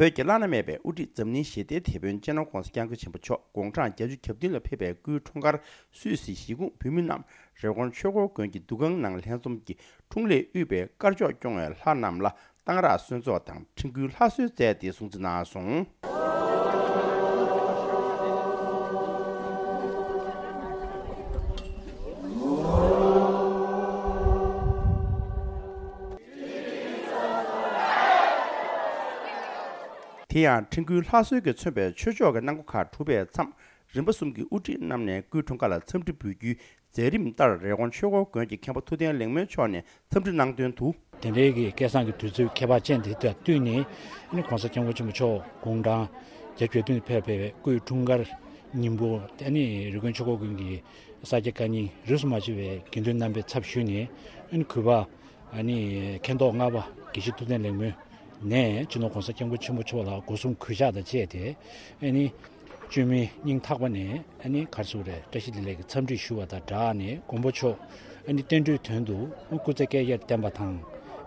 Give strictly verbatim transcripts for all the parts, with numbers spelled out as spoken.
བོད་ཀྱི་བླ་ན་མེད་པའི་དབུ་ཁྲིད་འཛམ་གླིང་ཞི་བདེའི་དེད་དཔོན་སྤྱི་ནོར་༧གོང་ས་༧སྐྱབས་མགོན་ཆེན་པོ་མཆོག་དགུང་གྲངས་བརྒྱད་ཅུ་གྱ་བདུན་ལ་ཕེབས་པའི་སྐུའི་འཁྲུངས་སྐར་སུད་སི་གཞིས་ཁོངས་བོད་མི་རྣམས་རི་ཀོན་ཆོས་འཁོར་དགོན་གྱི་འདུ་ཁང་ནང་ལྷན་འཛོམས་ཀྱིས་འཁྲུངས་ལྷས་དབུས་པའི་དཀར་ཕྱོགས་སྐྱོང་བའི་ལྷ་རྣམས་ལ་གཏང་རག་གསོལ་ཚོགས་དང་འཕྲིན་བསྐུལ་ལྷ་གསོལ་མཛད་དེ་སྲུང་བརྩི་གནང་སོང་། དེ་ཡང་འཕྲིན་བསྐུལ་ལྷ་གསོལ་གྱིས་མཚོན་པའི་ཆོས་ཕྱོགས་ཀྱི་གནང་སྒོ་ཁག་གྲུབ་པའི་མཚམས། རིམ་པ་གསུམ་གྱི་དབུ་ཁྲིད་རྣམས་ནས་སྐུའི་འཁྲུངས་སྐར་ལ་འཚམས་འདྲི་འབུལ་རྒྱུའི་མཛད་རིམ་ལྟར། རི་ཀོན་ཆོས་འཁོར་དགོན་གྱི་མཁན་པོ་ཐུབ་བསྟན་ལེགས་སྨོན་མཆོག་ནས་འཚམས་འདྲི་གནང་དོན་དུ། དེ་འབྲེལ་གྱི་སྐལ་བཟང་གི་དུས་ཚོད་ཁྱད་པར་ཅན་དེ་དང་བསྟུན་ནས། ཨ་ནི་༧གོང་ས་༧སྐྱབས་མགོན་ཆེན་པོ་མཆོག་དགུང་གྲངས་བརྒྱད་ཅུ་གྱ་བདུན་ཕེབས་པའི་སྐུའི་འཁྲུངས་སྐར་ཉིན་མོ། ཨ་ནི་རི་ཀོན་ཆོས་འཁོར་དགོན་གྱི་ས་སྐྱ་བཀའ་རྙིང་རིས་སུ་མ་ཆད་པའི་དགེ་འདུན་རྣམ་པའི་ཚབ་ཞུས་ནས། ཨ་ནི་གུས་པ། ཨ་ནི་མཁན་ཐོག་ལྔ་པ་དགེ་བཤེས་ཐུབ་བསྟན་ལེགས་སྨོན་ནས་སྤྱི་ནོར་༧གོང་ས་༧སྐྱབས་མགོན་ཆེན་པོ་མཆོག་ལ་སྒོ་གསུམ་གུས་ཕྱག་དང་བཅས་ཏེ། ཨ་ནི་བཅོས་མིན་སྙིང་ཐག་པ་ནས། ཨ་ནི་ག་རེ་ཟེར་དགོས་རེད། བཀྲ་ཤིས་བདེ་ལེགས་ཀྱི་འཚམས་འདྲི་ཞུ་བ་དང་སྦྲགས་ནས། མགོན་པོ་མཆོག་ཨ་ནི་བསྟན་འགྲོའི་དོན་དུ་སྐུ་ཚེ་བསྐལ་བརྒྱར་བརྟན་པ་དང་།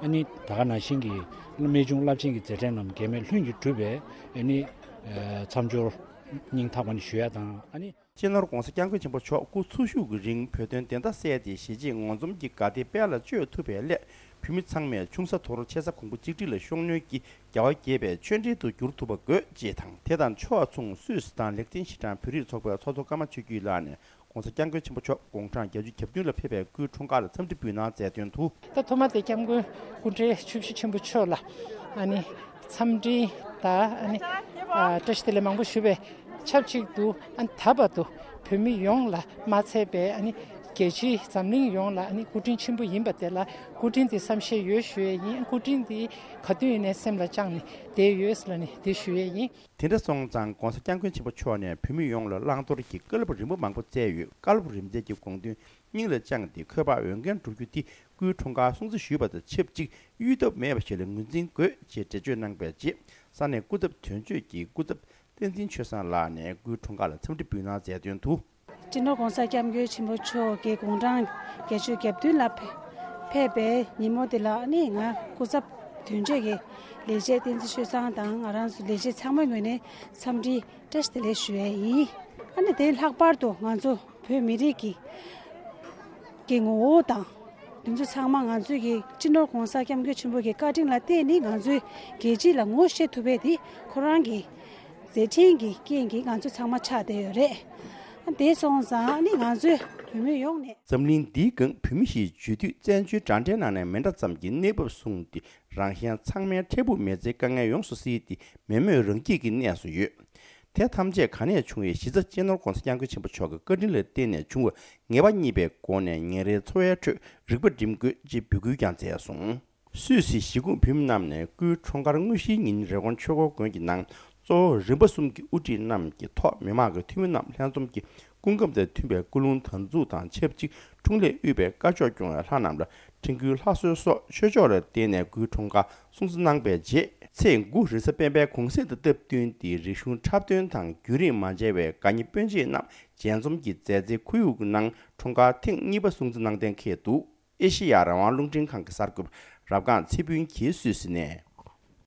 ཨ་ནི་ད་ག་ནང་བཞིན་གྱི་རྨད་བྱུང་རླབས་ཆེན་གྱི་མཛད་འཕྲིན་རྣམས་འགལ་མེད་ལྷུན་གྱིས་གྲུབ་པའི། ཨ་ནི་མཚམས་སྦྱོར་སྙིང་ཐག་པ་ནས་ཞུ་ཡ་དང་། ཨ་ནི། སྤྱི་ནོར་༧གོང་ས་༧སྐྱབས་མགོན་ཆེན་པོ་མཆོག་སྐུ་འཚོ་བཞུགས་ཀྱི་རིང་བོད་དོན་བདེན་མཐའ་གསལ་ཏེ། གཞིས་བྱེས་ངོ་འཛོམས་ཀྱི་དགའ་བདེ་དཔལ་ལ་སྤྱོད་ཐུབ་པའི་སླད། བོད་མི་ཚང་མས་ཆུང་ས་དོར་ཆེ་ས་གོང་བུ་གཅིག་སྒྲིལ་ལ་ཤུགས་སྣོན་གྱིས་རྒྱལ་བ་དགྱེས་པའི་ཆོས་འབྲེལ་དུ་འགྱུར་ཐུབ་པ་དགོས། ཅེས་དང་། དེ་དང་ཕྱོགས་མཚུངས་སུད་སི་དང་ལེག་ཏེན་ཤི་ཏན་བོད་རིགས་ཚོགས་པའི་ཚོགས་གཙོ་ཀརྨ་ཆོས་སྐྱིད་ལགས་ནས་༧གོང་ས་༧སྐྱབས་མགོན་ཆེན་པོ་མཆོག་དགུང་གྲངས་བརྒྱད་ཅུ་གྱ་བདུན་ལ་ཕེབས་པའི་སྐུའི་འཁྲུངས་སྐར་ལ་འཚམས་འདྲི་འབུལ་གནང་མཛད་དོན་དུ། ད་ཐོག་མ་དེ་སྐྱབས་མགོན་སྐུ་ཕྲེང་བཅུ་བཞི་ཆེན་པོ་མཆོག་ལ་ཨ་ནི་འཚམས་འདྲི་དང་། ཨ་ནི་ཨ་བཀྲ་ཤིས་བདེ་ལེགས་མང་པོ་ཞུ་བའི་ཆབས་ཅིག་ཏུ། ཨ་ནི་ད་བར་དུ་བོད་མི་ཡོངས་ལ་མ་ཚད་པའི། ཨ་ནི་རྒྱལ་སྤྱི་འཛམ་གླིང་ཡོངས་ལ་ཨ་ནི་སྐུ་དྲིན་ཆེན་པོ་ཡིན་པ་དེ་ལ་སྐུ་དྲིན་དེ་བསམ་ཤེས་ཡོད་ཞུ་ཡས་ཡིན། སྐུ་དྲིན་དེ་ག་དུས་ཡིན་ནའི་སེམས་ལ་བཅངས་ནས་བསྡད་ཡོད་ཟེར་ལབ་ནས་དེ་ཞུ་ཡས་ཡིན། དེ་འདྲ་སོང་ཙང་༧གོང་ས་༧སྐྱབས་མགོན་ཆེན་པོ་མཆོག་ནས་བོད་མི་ཡོངས་ལ་བླང་དོར་གྱི་བཀའ་སློབ་རིམ་པ་མང་པོ་སྩལ་ཡོད། བཀའ་སློབ་རིམ་སྩལ་གྱི་དགོངས་དོན་སྙིང་ལ་བཅངས་ཏེ་འཁོས་དཔག་འོས་འགན་བསྒྲུབ་རྒྱུ་དེ་སྐུའི་འཁྲུངས་སྐར་སྲུང་བརྩི་ཞུས་པ་དང་ཆབས་ཅིག་གཡོལ་ཐབས་མེད་པ་ཞིག་ལ་ངོས་འཛིན་དགོས། ཅེས་འགྲེལ་བརྗོད་གནང་བའི་རྗེས། ས་གནས་སྐུ་ཚབ་དོན་གཅོད་ཀྱི་སྐུ་ཚབ་བསྟན་འཛིན་ཆོས་བཟང་ལགས་ནས་སྐུའི་འཁྲུངས་སྐར་ལ་འཚམས་འདྲི་འབུལ་གནང་མཛད་དོན་དུ། སྤྱི་ནོར་༧གོང་ས་༧སྐྱབས་མགོན་ཆེན་པོ་མཆོག་གི་དགུང་གྲངས་བརྒྱད་ཅུ་གྱ་བདུན་ལ་ཕེབས་པའི་ཉིན་མོ་དེ་ལ་ནི། ང་སྐུ་ཚབ་དོན་གཅོད་ཀྱི་ལས་བྱེད་བསྟན་འཛིན་ཆོས་བཟང་དང་ང་རང་ཚོ་ལས་བྱེད་ཚང་མའི་ངོས་ནས་འཚམས་འདྲི་བཀྲ་ཤིས་བདེ་ལེགས་ཞུ་ཡས་ཡིན། ཨ་ནི་དེ་ལྷག་པར་དུ་ང་ཚོ་བོད་མི་རིགས་ཀྱི་ཀྱི་ངོ་བོ་དང་། དེ་ཚོ་ཚང་མ་ང་ཚོའི་གི་སྤྱི་ནོར་༧གོང་ས་༧སྐྱབས་མགོན་ཆེན་པོ་གི་བཀའ་དྲིན་ལ་བརྟེན་ནས་ང་ཚོའི་རྒྱལ་སྤྱི་ལ་ངོ་ཤེས་ཐུབ་པའི་དེ་ཁོ་རང་གི་མཛད་འཕྲིན་གྱི་རྐྱེན་གྱིས་ང་ཚོ་ཚང་མ་ཆགས་བསྡད་ཡོད་རེད། དེ་སོང་ཙང་ནི་ང་ཚོའི་བོད་མི་ཡོངས་ནས། འཛམ་གླིང་འདིའི་སྒང་བོད་མི་ཞེས་བརྗོད་དུས་བཙན་བྱོལ་འདྲ་འདྲའི་ནང་ནས་མི་འདྲ་ཙམ་གྱི་གནས་བབ་བཟུང་སྟེ། རང་གཞན་ཚང་མའི་འཕྲལ་ཕུགས་མི་ཚེའི་དཀའ་ངལ་ཡོངས་སུ་སེལ་ཏེ་མེས་མོས་རང་སྐྱིད་ཀྱི་གནས་སུ་ཡོད། དེ་ཐམས་ཅད་ག་ནས་བྱུང་བའི་གཞི་རྩ་སྤྱི་ནོར་༧གོང་ས་༧སྐྱབས་མགོན་ཆེན་པོ་མཆོག་གི་བཀའ་དྲིན་ལ་བརྟེན་ནས་བྱུང་བ་ངེས་པ་རྙེད་པའི་སྒོ་ནས་ཉིན་རེའི་འཚོ་བའི་ཁྲོད་རིག་པ་སྒྲིམ་དགོས། ཅེས་འབོད་སྐུལ་ཀྱང་མཛད་སོང་། སུད་སི་གཞིས་ཁོངས་བོད་མི་རྣམས་ནས་སྐུའི་འཁྲུངས་སྐར་དངོས་གཞིའི་ཉིན་རི་ཀོན་ཆོས་འཁོར་དགོན་གྱི་ནང་གཙོ་བོ་རིམ་པ་གསུམ་གྱི་དབུ་ཁྲིད་རྣམས་ཀྱི་ཐོག་མི་མང་གི་འཐུས་མི་རྣམས་ལྷན་འཛོམས་ཀྱིས་སྐུ་ཁམས་དང་མཐུན་པའི་ཀུན་སློང་དམ་ཚུགས་དང་ཆབས་ཅིག་འཁྲུངས་ལྷས་དབུས་པའི་དཀར་ཕྱོགས་སྐྱོང་བའི་ལྷ་རྣམས་ལ་འཕྲིན་བསྐུལ་ལྷ་གསོལ་སོགས་ཆོས་ཕྱོགས་ལ་བརྟེན་ནས་སྐུའི་འཁྲུངས་སྐར་སྲུང་བརྩི་གནང་བའི་རྗེས། ཚེས་དགུ་རེས་གཟའ་སྤེན་པའི་གུང་གསེང་དང་སྟབས་བསྟུན་ཏེ་རིག་གཞུང་འཁྲབ་སྟོན་དང་རྒྱུན་རིང་མ་མཇལ་བའི་དགའ་ཉེ་སྤུན་མཆེད་རྣམས་མཇལ་འཛོམས་ཀྱི་མཛའ་བརྩེའི་ཁོར་ཡུག་ནང་འཁྲུངས་སྐར་ཐེངས་གཉིས་པ་སྲུང་བརྩི་གནང་གཏན་འཁེལ་འདུག་ཨེ་ཤེ་ཡ་རང་དབང་རླུང་འཕྲིན་ཁང་གི་གསར་འགོད་པ་རབ་སྒང་ཚེ་ཕུན་གྱིས་སུད་སི་ནས།